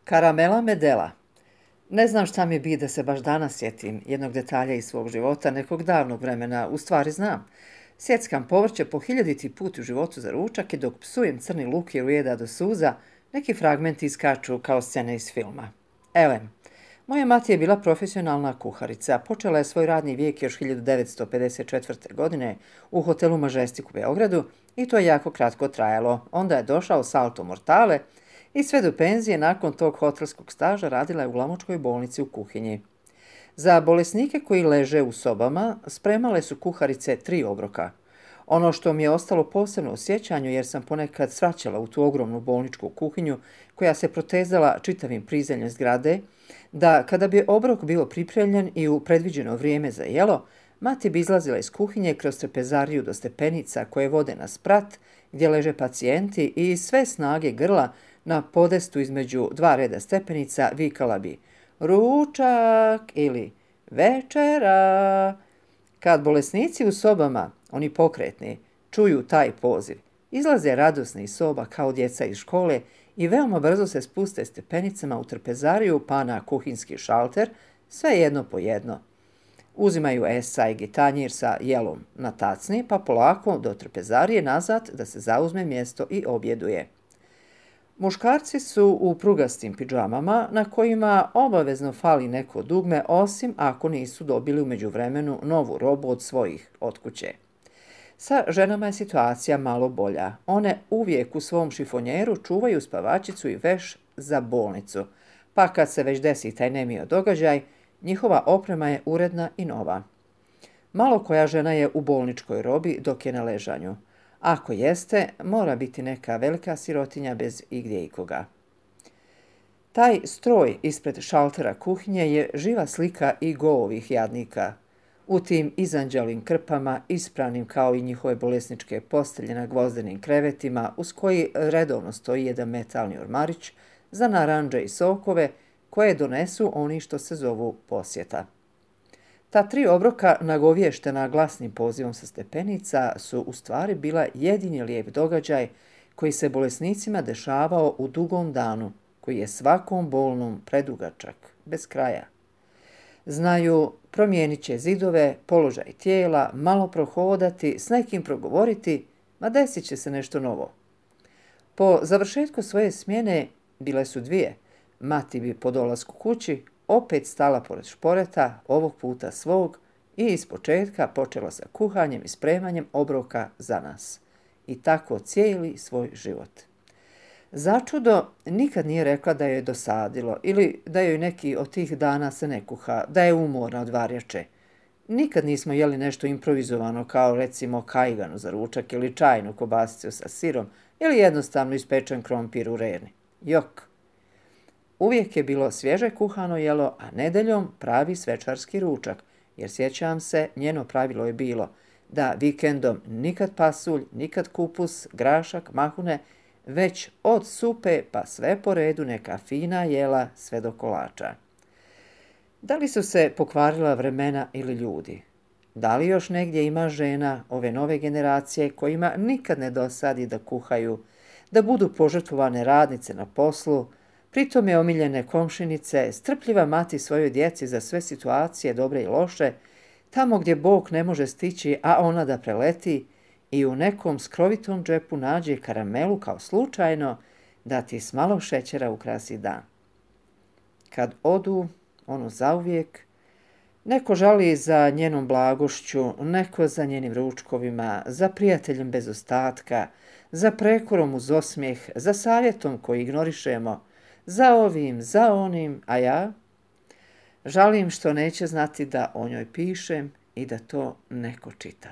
Karamela medela. Ne znam šta mi bi da se baš danas sjetim jednog detalja iz svog života, nekog davnog vremena, u stvari znam. Sjeckam povrće po hiljaditi put u životu za ručak i dok psujem crni luk jer ujeda do suza, neki fragmenti iskaču kao scene iz filma. Elem, moja mati je bila profesionalna kuharica. Počela je svoj radni vijek još 1954. godine u hotelu Majestic u Beogradu i to je jako kratko trajalo. Onda je došao salto mortale i sve do penzije nakon tog hotelskog staža radila je u glamočkoj bolnici u kuhinji. Za bolesnike koji leže u sobama spremale su kuharice 3 obroka. Ono što mi je ostalo posebno u sjećanju jer sam ponekad svaćala u tu ogromnu bolničku kuhinju koja se protezala čitavim prizemljem zgrade, da kada bi obrok bio pripremljen i u predviđeno vrijeme za jelo, mati bi izlazila iz kuhinje kroz trpezariju do stepenica koje vode na sprat gdje leže pacijenti i sve snage grla na podestu između 2 reda stepenica vikala bi ručak ili večera. Kad bolesnici u sobama, oni pokretni, čuju taj poziv, izlaze radosni iz soba kao djeca iz škole i veoma brzo se spuste stepenicama u trpezariju pa na kuhinski šalter, sve jedno po jedno. Uzimaju esaj i tanjir sa jelom na tacni pa polako do trpezarije nazad da se zauzme mjesto i objeduje. Muškarci su u prugastim pidžamama na kojima obavezno fali neko dugme osim ako nisu dobili u međuvremenu novu robu od svojih od kuće. Sa ženama je situacija malo bolja. One uvijek u svom šifonjeru čuvaju spavačicu i veš za bolnicu, pa kad se već desi taj nemio događaj, njihova oprema je uredna i nova. Malo koja žena je u bolničkoj robi dok je na ležanju. Ako jeste, mora biti neka velika sirotinja bez igdje ikoga. Taj stroj ispred šaltera kuhinje je živa slika i ovih jadnika. U tim izanđalim krpama, ispranim kao i njihove bolesničke postelje na gvozdenim krevetima, uz koji redovno stoji jedan metalni ormarić za naranđe i sokove koje donesu oni što se zovu posjeta. Ta 3 obroka nagovještena glasnim pozivom sa stepenica su u stvari bila jedini lijep događaj koji se bolesnicima dešavao u dugom danu, koji je svakom bolnom predugačak, bez kraja. Znaju, promijenit će zidove, položaj tijela, malo prohodati, s nekim progovoriti, ma desit će se nešto novo. Po završetku svoje smjene, bile su 2, mati bi po dolasku kući opet stala pored šporeta, ovog puta svog, i ispočetka počela sa kuhanjem i spremanjem obroka za nas. I tako cijeli svoj život. Začudo nikad nije rekla da joj je dosadilo ili da joj neki od tih dana se ne kuha, da je umorna od varjače. Nikad nismo jeli nešto improvizovano kao recimo kajganu za ručak ili čajnu kobasicu sa sirom ili jednostavno ispečen krompir u reni. Jok! Uvijek je bilo svježe kuhano jelo, a nedeljom pravi svečarski ručak, jer sjećam se, njeno pravilo je bilo da vikendom nikad pasulj, nikad kupus, grašak, mahune, već od supe pa sve po redu neka fina jela sve do kolača. Da li su se pokvarila vremena ili ljudi? Da li još negdje ima žena ove nove generacije kojima nikad ne dosadi da kuhaju, da budu požrtvovane radnice na poslu, pritom je omiljene komšinice, strpljiva mati svojoj djeci za sve situacije, dobre i loše, tamo gdje Bog ne može stići, a ona da preleti i u nekom skrovitom džepu nađe karamelu kao slučajno da ti s malo šećera ukrasi dan. Kad odu, ono zauvijek, neko žali za njenom blagošću, neko za njenim ručkovima, za prijateljem bez ostatka, za prekorom uz osmijeh, za savjetom koji ignorišemo, za ovim, za onim, a ja žalim što neće znati da o njoj pišem i da to neko čita.